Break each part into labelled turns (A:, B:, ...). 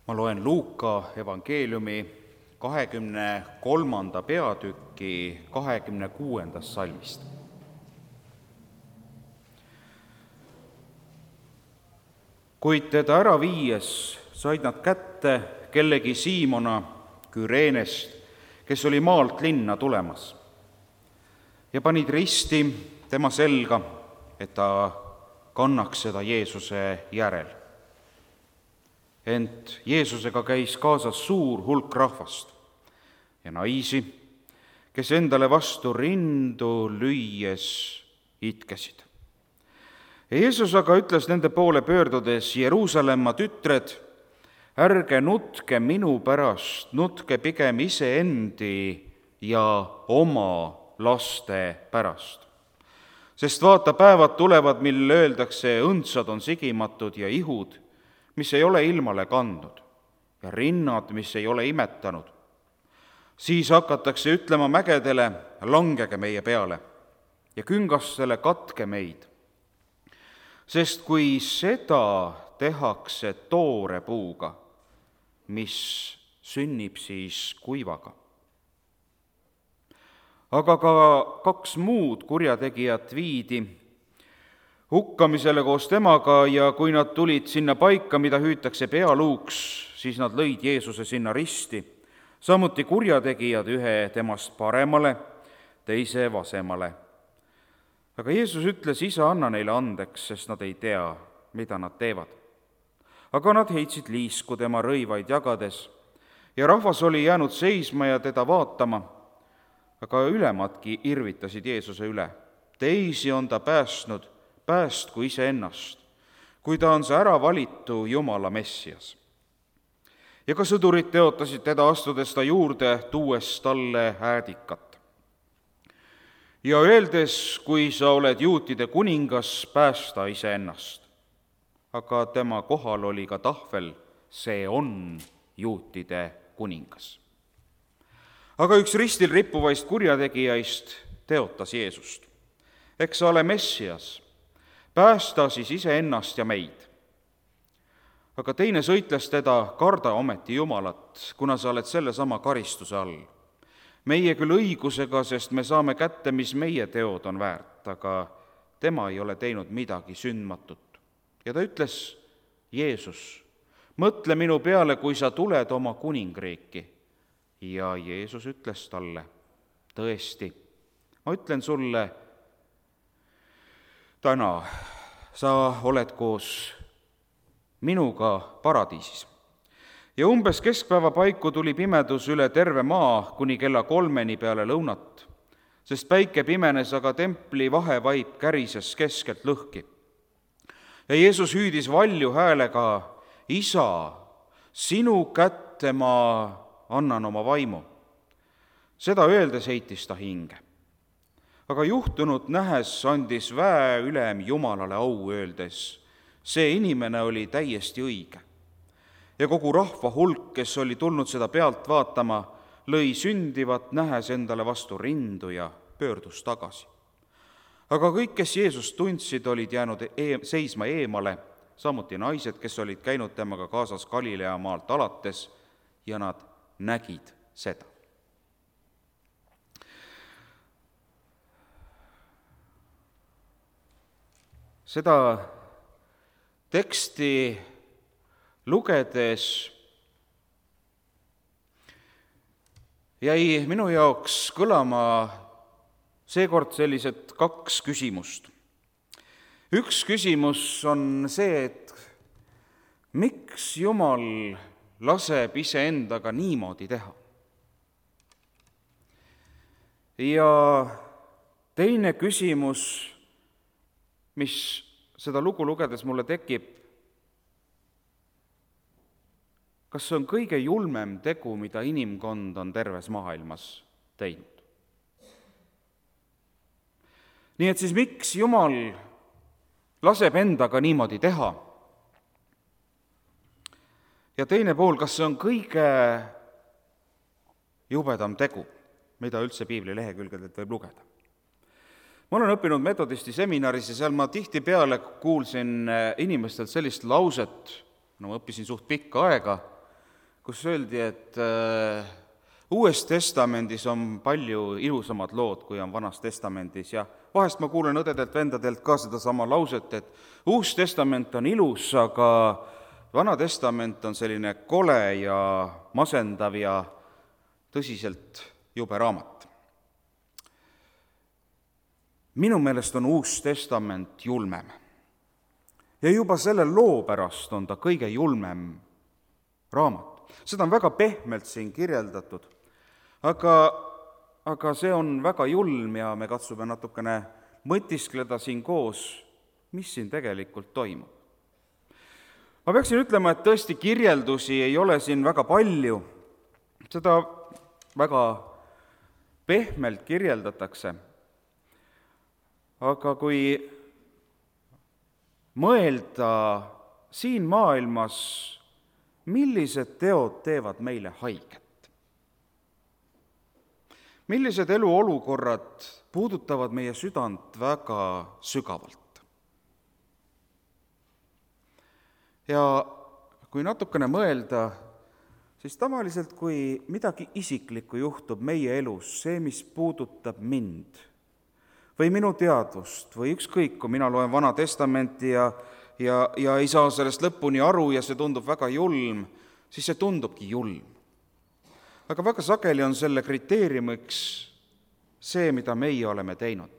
A: Ma loen Luuka evangeeliumi 23. peatüki 26. salmist. Kuid teda ära viies said nad kätte kellegi Siimona Küreenest, kes oli maalt linna tulemas, ja panid risti tema selga, et ta kannaks seda Jeesuse järel. Ent Jeesusega käis kaasas suur hulk rahvast ja naisi, kes endale vastu rindu lüües itkesid. Jeesus aga ütles nende poole pöördudes: Jeruusalemma tütred, ärge nutke minu pärast, nutke pigem iseendi ja oma laste pärast. Sest vaata, päevad tulevad, mil öeldakse, õndsad on sigimatud ja ihud, mis ei ole ilmale kandnud, ja rinnad, mis ei ole imetanud. Siis hakatakse ütlema mägedele: langege meie peale, ja küngastele: katke meid. Sest kui seda tehakse toore puuga, mis sünnib siis kuivaga. Aga ka 2 muud kurjategijat viidi hukkamisele koos temaga, ja kui nad tulid sinna paika, mida hüütakse pealuuks, siis nad lõid Jeesuse sinna risti, samuti kurjategijad, ühe temast paremale, teise vasemale. Aga Jeesus ütles: Isa, anna neile andeks, sest nad ei tea, mida nad teevad. Aga nad heitsid liisku tema rõivaid jagades, ja rahvas oli jäänud seisma ja teda vaatama, aga ülemadki irvitasid Jeesuse üle. Teisi on ta päästnud, päästku iseennast, kui ta on see äravalitu Jumala Messias. Ja ka sõdurid teotasid teda, astudes ta juurde, tuues talle äädikat. Ja öeldes: kui sa oled juutide kuningas, päästa iseennast. Aga tema kohal oli ka tahvel: see on juutide kuningas. Aga üks ristil rippuvaist kurjategijaist teotas Jeesust: eks sa ole Messias, päästa siis iseennast ja meid. Aga teine sõitles teda: karda ometi Jumalat, kuna sa oled sellesama karistuse all. Meie küll õigusega, sest me saame kätte, mis meie teod on väärt, aga tema ei ole teinud midagi sündmatut. Ja ta ütles: Jeesus, mõtle minu peale, kui sa tuled oma kuningriiki. Ja Jeesus ütles talle: tõesti, ma ütlen sulle, täna sa oled koos minuga paradiisis. Ja umbes keskpäeva paiku tuli pimedus üle terve maa kuni kella 3 peale lõunat, sest päike pimenes, aga templi vahevaip kärises keskelt lõhki. Ja Jeesus hüüdis valju häälega: Isa, sinu kätte ma annan oma vaimu. Seda öeldes heitis ta hinge. Aga juhtunut nähes andis väeülem Jumalale au, öeldes: see inimene oli täiesti õige. Ja kogu rahva hulk, kes oli tulnud seda pealt vaatama, lõi sündivat nähes endale vastu rindu ja pöördus tagasi. Aga kõik, kes Jeesust tundsid, olid jäänud seisma eemale, samuti naised, kes olid käinud temaga kaasas Galilea maalt alates, ja nad nägid seda. Seda teksti lugedes jäi minu jaoks kõlama seekord sellised 2 küsimust. Üks küsimus on see, et miks Jumal laseb iseendaga niimoodi teha? Ja teine küsimus, mis seda lugu lugedes mulle tekib: kas see on kõige julmem tegu, mida inimkond on terves maailmas teinud? Nii et siis miks Jumal laseb endaga niimoodi teha? Ja teine pool, kas see on kõige jubedam tegu, mida üldse piibli lehekülgedelt võib lugeda? Ma olen õppinud metodisti seminaris ja seal ma tihtipeale kuulsin inimestelt sellist lauset, no ma õppisin suht pikka aega, kus öeldi, et Uues Testamendis on palju ilusamad lood, kui on Vanas Testamendis ja vahest ma kuulen õdedelt-vendadelt ka sedasama lauset, et Uus Testament on ilus, aga Vana Testament on selline kole ja masendav ja tõsiselt jube raamat. Minu meelest on Uus Testament julmem. Ja juba selle loo pärast on ta kõige julmem raamat. Seda on väga pehmelt siin kirjeldatud, aga see on väga julm ja me katsume natukene mõtiskleda siin koos, mis siin tegelikult toimub. Ma peaksin ütlema, et tõesti kirjeldusi ei ole siin väga palju, seda väga pehmelt kirjeldatakse, aga kui mõelda siin maailmas, millised teod teevad meile haiget? Millised eluolukorrad puudutavad meie südant väga sügavalt? Ja kui natukene mõelda, siis tavaliselt, kui midagi isiklikku juhtub meie elus, see, mis puudutab mind või minu teadvust või ükskõik, kui mina loen Vana Testamenti ja ei saa sellest lõpuni aru ja see tundub väga julm, siis see tundubki julm. Aga väga sageli on selle kriteeriumiks see, mida meie oleme teinud.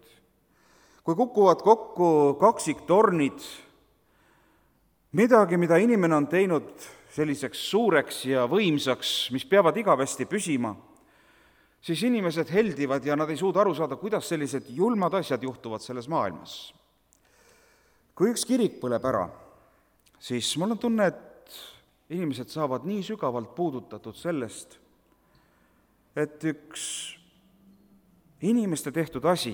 A: Kui kukuvad kokku kaksiktornid, midagi, mida inimene on teinud selliseks suureks ja võimsaks, mis peavad igavesti püsima, siis inimesed heldivad ja nad ei suuda aru saada, kuidas sellised julmad asjad juhtuvad selles maailmas. Kui üks kirik põleb ära, siis mul on tunne, et inimesed saavad nii sügavalt puudutatud sellest, et üks inimeste tehtud asi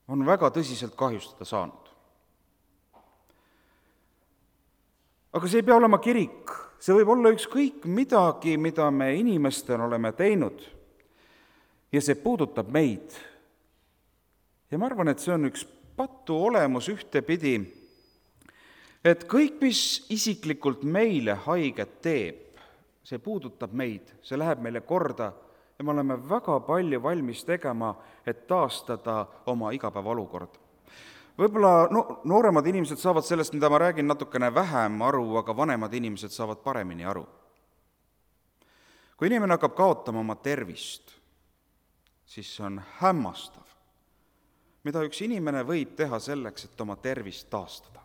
A: on väga tõsiselt kahjustada saanud. Aga see ei pea olema kirik, see võib olla ükskõik midagi, mida me inimestena oleme teinud ja see puudutab meid. Ja ma arvan, et see on üks patu olemus ühtepidi, et kõik, mis isiklikult meile haiget teeb, see puudutab meid, see läheb meile korda ja me oleme väga palju valmis tegema, et taastada oma igapäevaolukord. Võib-olla nooremad inimesed saavad sellest, mida ma räägin, natukene vähem aru, aga vanemad inimesed saavad paremini aru. Kui inimene hakkab kaotama oma tervist, siis see on hämmastav, mida üks inimene võib teha selleks, et oma tervist taastada.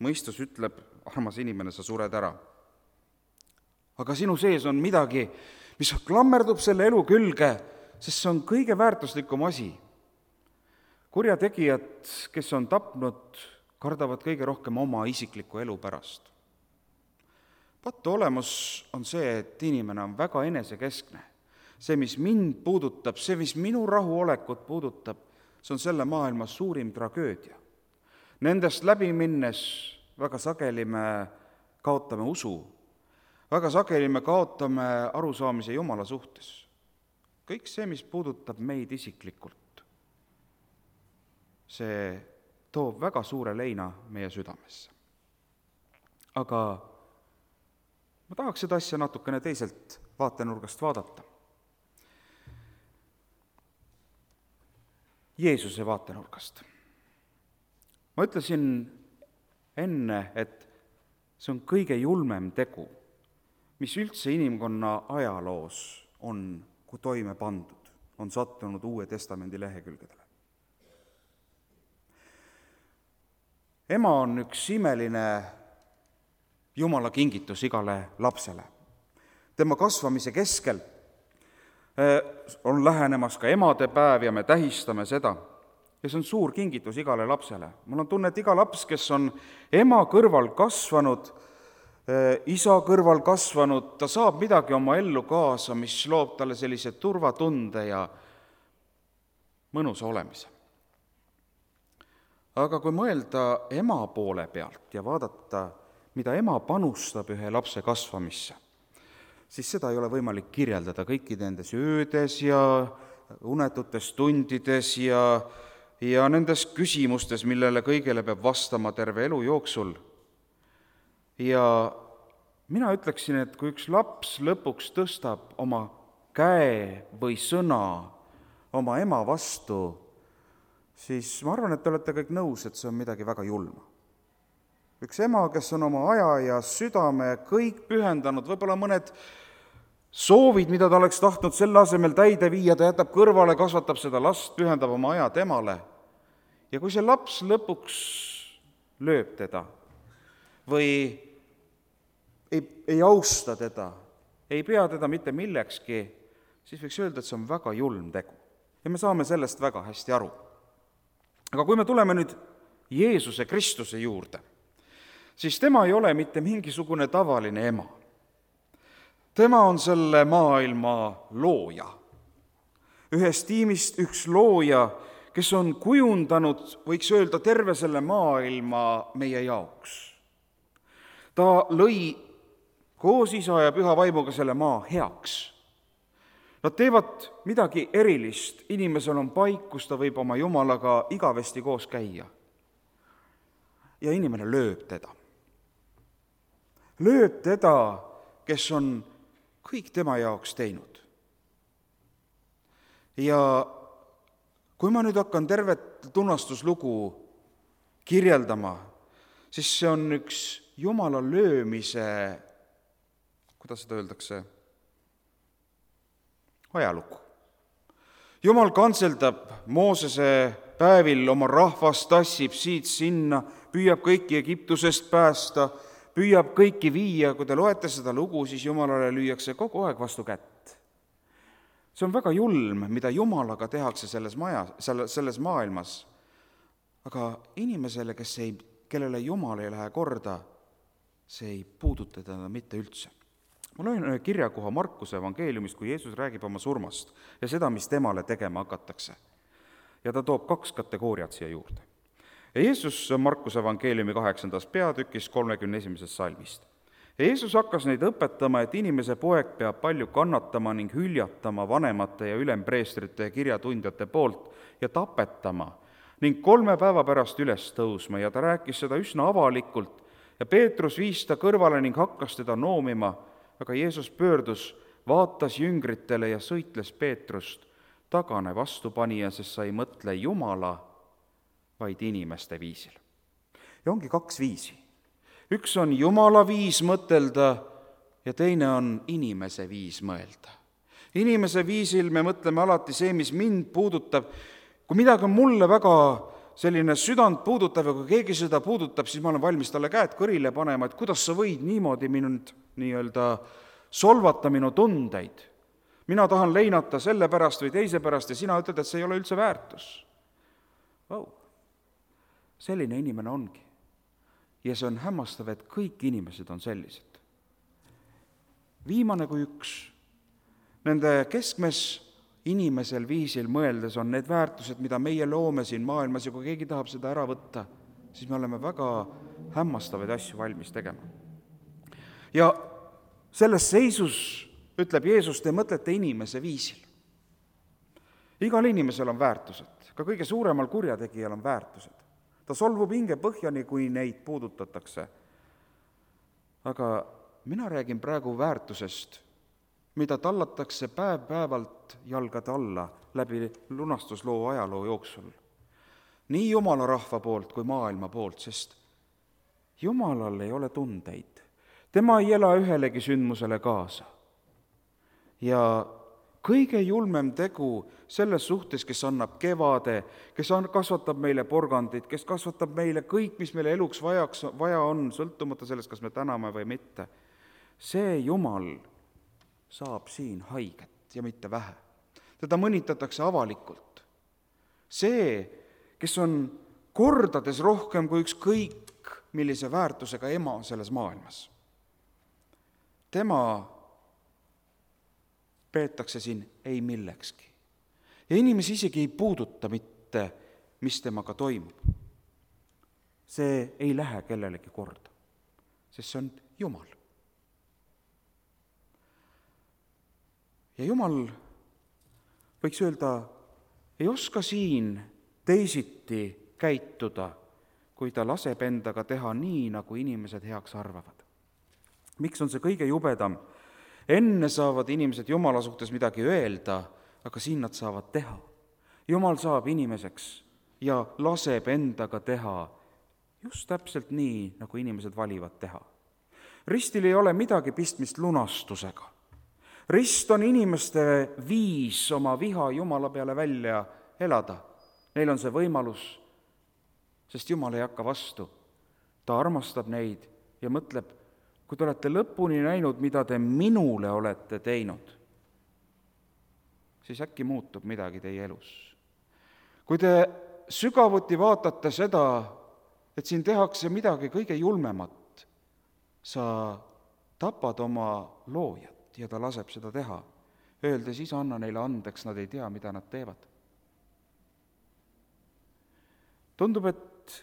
A: Mõistus ütleb, armas inimene, sa sured ära. Aga sinu sees on midagi, mis klammerdub selle elu külge, sest see on kõige väärtuslikum asi. Kurjategijad, kes on tapnud, kardavad kõige rohkem oma isikliku elu pärast. Patu olemus on see, et inimene on väga enesekeskne. See, mis mind puudutab, see, mis minu rahuolekut puudutab, see on selle maailma suurim tragöödia. Nendest läbi minnes väga sageli me kaotame usu, väga sageli me kaotame arusaamise Jumala suhtes. Kõik see, mis puudutab meid isiklikult, see toob väga suure leina meie südamesse. Aga ma tahaks seda asja natukene teiselt vaatenurgast vaadata. Jeesuse vaatenurgast. Ma ütlesin enne, et see on kõige julmem tegu, mis üldse inimkonna ajaloos on toime pandud, on sattunud Uue Testamendi lehekülgedele. Ema on üks imeline Jumala kingitus igale lapsele. Tema kasvamise keskel on lähenemas ka emadepäev ja me tähistame seda. Ja see on suur kingitus igale lapsele. Mul on tunne, et iga laps, kes on ema kõrval kasvanud, isa kõrval kasvanud, ta saab midagi oma ellu kaasa, mis loob talle sellise turvatunde ja mõnusa olemise. Aga kui mõelda ema poole pealt ja vaadata, mida ema panustab ühe lapse kasvamisse, siis seda ei ole võimalik kirjeldada kõikide nendes öödes ja unetutes tundides ja nendes küsimustes, millele kõigele peab vastama terve elu jooksul. Ja mina ütleksin, et kui üks laps lõpuks tõstab oma käe või sõna oma ema vastu, siis ma arvan, et te olete kõik nõus, et see on midagi väga julma. Üks ema, kes on oma aja ja südame kõik pühendanud, võib-olla mõned soovid, mida ta oleks tahtnud selle asemel täide viia, ta jätab kõrvale, kasvatab seda last, pühendab oma aja temale. Ja kui see laps lõpuks lööb teda või ei austa teda, ei pea teda mitte millekski, siis võiks öelda, et see on väga julm tegu. Ja me saame sellest väga hästi aru. Aga kui me tuleme nüüd Jeesuse Kristuse juurde, siis tema ei ole mitte mingisugune tavaline ema. Tema on selle maailma looja. Ühest tiimist üks looja, kes on kujundanud, võiks öelda, terve selle maailma meie jaoks. Ta lõi koos Isa ja Püha Vaimuga selle maa heaks. Nad teevad midagi erilist, inimesel on paik, kus ta võib oma Jumalaga igavesti koos käia. Ja inimene lööb teda. Lööb teda, kes on kõik tema jaoks teinud. Ja kui ma nüüd hakkan tervet tunnustuslugu kirjeldama, siis see on üks Jumala löömise, kuidas seda öeldakse, ajalugu. Jumal kantseldab Moosese päevil oma rahvast, tassib siit sinna, püüab kõiki Egiptusest päästa, püüab kõiki viia, kui te loete seda lugu, siis Jumalale lüüakse kogu aeg vastu kätt. See on väga julm, mida Jumalaga tehakse selles maailmas, aga inimesele, kellele Jumal ei lähe korda, see ei puuduta teda mitte üldse. Ma loen kirjakoha Markuse evangeeliumist, kui Jeesus räägib oma surmast ja seda, mis temale tegema hakatakse. Ja ta toob 2 kategooriat siia juurde. Ja Jeesus Markuse evangeeliumi 8. peatükis 31. salmist. Ja Jeesus hakkas neid õpetama, et inimese poeg peab palju kannatama ning hüljatama vanemate ja ülempreestrite ja kirjatundjate poolt ja tapetama ning 3 päeva pärast üles tõusma, ja ta rääkis seda üsna avalikult ja Peetrus viis ta kõrvale ning hakkas teda noomima, aga Jeesus pöördus, vaatas jüngritele ja sõitles Peetrust, tagane vastupanija, sest sa ei mõtle Jumala, vaid inimeste viisil. Ja ongi 2 viisi. Üks on Jumala viis mõtelda ja teine on inimese viis mõelda. Inimese viisil me mõtleme alati see, mis mind puudutab. Kui midagi on mulle väga selline südant puudutav ja kui keegi seda puudutab, siis ma olen valmis talle käed kõrile panema, et kuidas sa võid niimoodi mind solvata minu tundeid. Mina tahan leinata selle pärast või teise pärast ja sina ütled, et see ei ole üldse väärtus. Selline inimene ongi. Ja see on hämmastav, et kõik inimesed on sellised. Viimane kui üks. Nende keskmes inimesel viisil mõeldes on need väärtused, mida meie loome siin maailmas ja kui keegi tahab seda ära võtta, siis me oleme väga hämmastavaid asju valmis tegema. Ja selles seisus, ütleb Jeesus, te mõtlete inimese viisil. Igal inimesel on väärtused, ka kõige suuremal kurjategijal on väärtused. Ta solvub hinge põhjani, kui neid puudutatakse. Aga mina räägin praegu väärtusest, mida tallatakse päev-päevalt jalgade alla läbi lunastusloo ajaloo jooksul. Nii Jumala rahva poolt kui maailma poolt, sest Jumalal ei ole tundeid. Tema ei ela ühelegi sündmusele kaasa. Ja kõige julmem tegu selles suhtes, kes annab kevade, kes kasvatab meile porgandit, kes kasvatab meile kõik, mis meile eluks vaja on, sõltumata sellest, kas me täname või mitte. See Jumal saab siin haiget ja mitte vähe. Teda mõnitatakse avalikult. See, kes on kordades rohkem kui ükskõik millise väärtusega ema selles maailmas. Tema peetakse siin ei millekski. Ja inimesi isegi ei puuduta mitte, mis temaga toimub. See ei lähe kellelegi korda, sest see on Jumal. Ja Jumal, võiks öelda, ei oska siin teisiti käituda kui ta laseb endaga teha nii, nagu inimesed heaks arvavad. Miks on see kõige jubedam? Enne saavad inimesed Jumala suhtes midagi öelda, aga siin nad saavad teha. Jumal saab inimeseks ja laseb endaga teha just täpselt nii, nagu inimesed valivad teha. Ristil ei ole midagi pistmist lunastusega. Rist on inimeste viis oma viha Jumala peale välja elada. Neil on see võimalus, sest Jumal ei hakka vastu. Ta armastab neid ja mõtleb, kui te olete lõpuni näinud, mida te minule olete teinud, siis äkki muutub midagi teie elus. Kui te sügavuti vaatate seda, et siin tehakse midagi kõige julmemat, sa tapad oma loojat ja ta laseb seda teha, öeldes, isa, anna neile andeks, nad ei tea, mida nad teevad. Tundub, et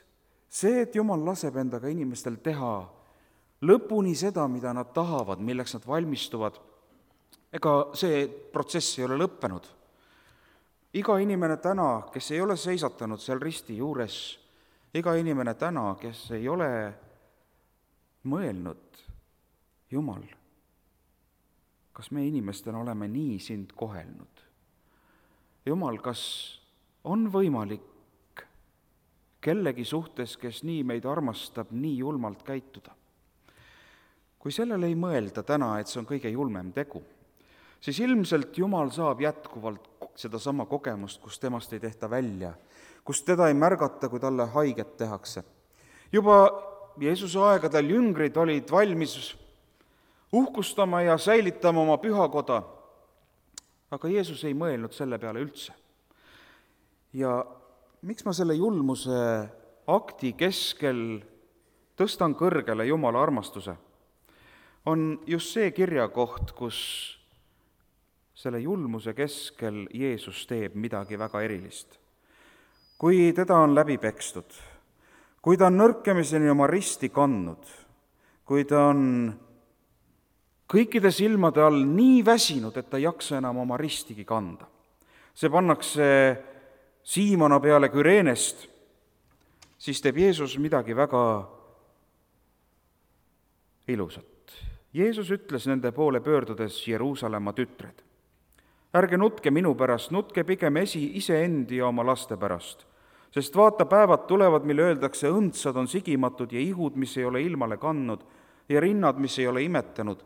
A: see, et Jumal laseb endaga inimestel teha lõpuni seda, mida nad tahavad, milleks nad valmistuvad, ega see protsess ei ole lõppenud. Iga inimene täna, kes ei ole seisatanud seal risti juures, iga inimene täna, kes ei ole mõelnud, Jumal, kas me inimestena oleme nii sind kohelnud? Jumal, kas on võimalik kellegi suhtes, kes nii meid armastab, nii julmalt käituda? Kui sellele ei mõelda täna, et see on kõige julmem tegu, siis ilmselt Jumal saab jätkuvalt sedasama kogemust, kus temast ei tehta välja, kus teda ei märgata, kui talle haiget tehakse. Juba Jeesuse aegadel jüngrid olid valmis uhkustama ja säilitama oma pühakoda, aga Jeesus ei mõelnud selle peale üldse. Ja miks ma selle julmuse akti keskel tõstan kõrgele Jumala armastuse? On just see kirjakoht, kus selle julmuse keskel Jeesus teeb midagi väga erilist. Kui teda on läbi pekstud, kui ta on nõrkemiseni oma risti kandnud, kui ta on kõikide silmade all nii väsinud, et ta ei jaksa enam oma ristigi kanda. See pannakse Siimona peale Küreenest, siis teeb Jeesus midagi väga ilusat. Jeesus ütles nende poole pöördudes, Jeruusalemma tütred, ärge nutke minu pärast, nutke pigem iseendi ja oma laste pärast, sest vaata, päevad tulevad, mille öeldakse, õndsad on sigimatud ja ihud, mis ei ole ilmale kandnud ja rinnad, mis ei ole imetanud,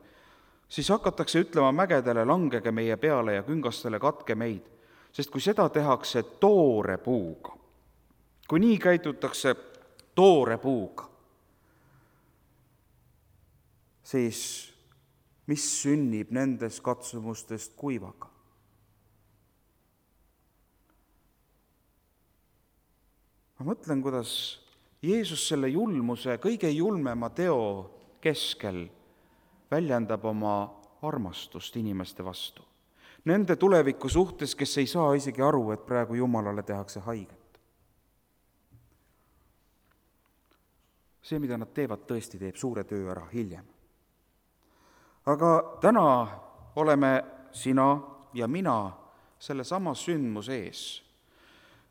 A: siis hakatakse ütlema mägedele, langege meie peale ja küngastele, katke meid, sest kui seda tehakse toore puuga, kui nii käitutakse toore puuga, siis mis sünnib nendes katsumustest kuivaga? Ma mõtlen, kuidas Jeesus selle julmuse, kõige julmema teo keskel väljendab oma armastust inimeste vastu. Nende tuleviku suhtes, kes ei saa isegi aru, et praegu Jumalale tehakse haiget. See, mida nad teevad, tõesti teeb suure töö ära hiljem. Aga täna oleme sina ja mina sellesama sündmuse ees.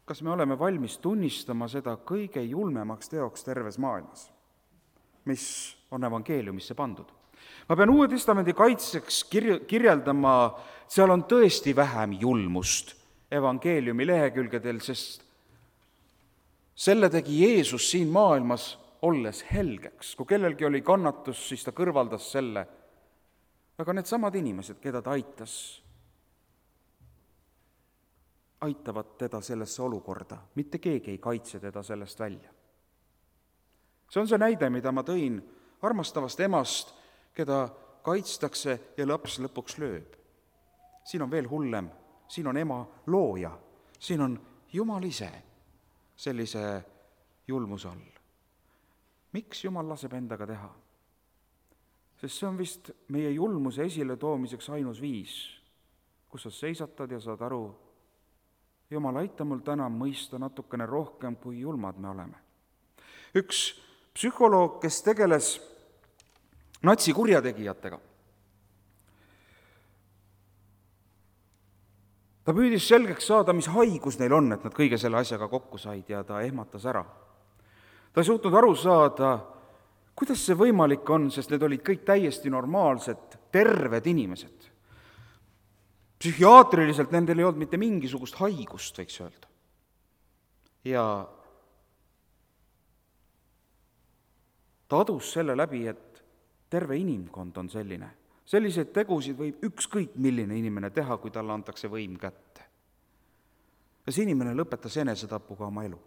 A: Kas me oleme valmis tunnistama seda kõige julmemaks teoks terves maailmas, mis on evangeeliumisse pandud? Ma pean Uue Testamendi kaitseks kirjeldama, seal on tõesti vähem julmust evangeeliumi lehekülgedel, sest selle tegi Jeesus siin maailmas olles helgeks. Kui kellelgi oli kannatus, siis ta kõrvaldas selle. Aga need samad inimesed, keda ta aitas, aitavad teda sellesse olukorda. Mitte keegi ei kaitse teda sellest välja. See on see näide, mida ma tõin armastavast emast, keda kaitstakse ja laps lõpuks lööb. Siin on veel hullem, siin on ema looja, siin on Jumal ise sellise julmuse all. Miks Jumal laseb endaga teha? Sest see on vist meie julmuse esile toomiseks ainus viis, kus sa seisatad ja saad aru, Jumal, aita mul täna mõista natukene rohkem, kui julmad me oleme. Üks psühholoog, kes tegeles natsikurjategijatega, ta püüdis selgeks saada, mis haigus neil on, et nad kõige selle asjaga kokku said ja ta ehmatas ära. Ta ei suutnud aru saada, kuidas see võimalik on, sest need olid kõik täiesti normaalsed, terved inimesed. Psühhiaatriliselt nendel ei olnud mitte mingisugust haigust, võiks öelda. Ja ta adus selle läbi, et terve inimkond on selline. Selliseid tegusid võib ükskõik milline inimene teha, kui talle antakse võim kätte. Ja see inimene lõpetas enesetapuga oma elu.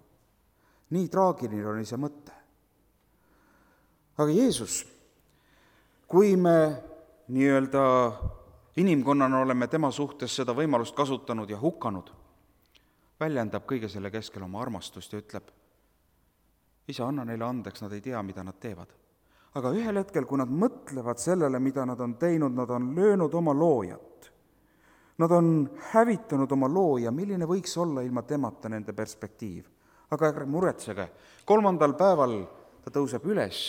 A: Nii traagiline oli see mõte. Aga Jeesus, kui me nii-öelda inimkonnana oleme tema suhtes seda võimalust kasutanud ja hukanud, väljendab kõige selle keskel oma armastust ja ütleb, Isa, anna neile andeks, nad ei tea, mida nad teevad. Aga ühel hetkel, kui nad mõtlevad sellele, mida nad on teinud, nad on löönud oma loojat. Nad on hävitanud oma looja, milline võiks olla ilma temata nende perspektiiv. Aga ärge muretsege, 3. päeval ta tõuseb üles,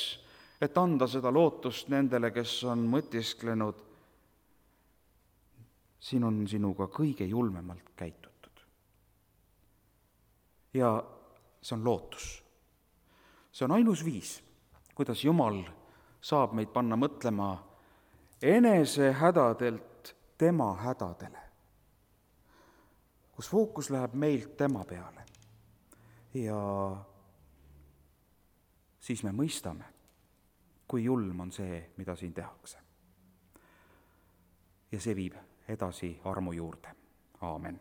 A: et anda seda lootust nendele, kes on mõtisklenud, siin on sinuga kõige julmemalt käitutud. Ja see on lootus. See on ainus viis, kuidas Jumal saab meid panna mõtlema enese hädadelt tema hädadele, kus fookus läheb meilt tema peale. Ja siis me mõistame, kui julm on see, mida siin tehakse. Ja see viib edasi armu juurde. Aamen.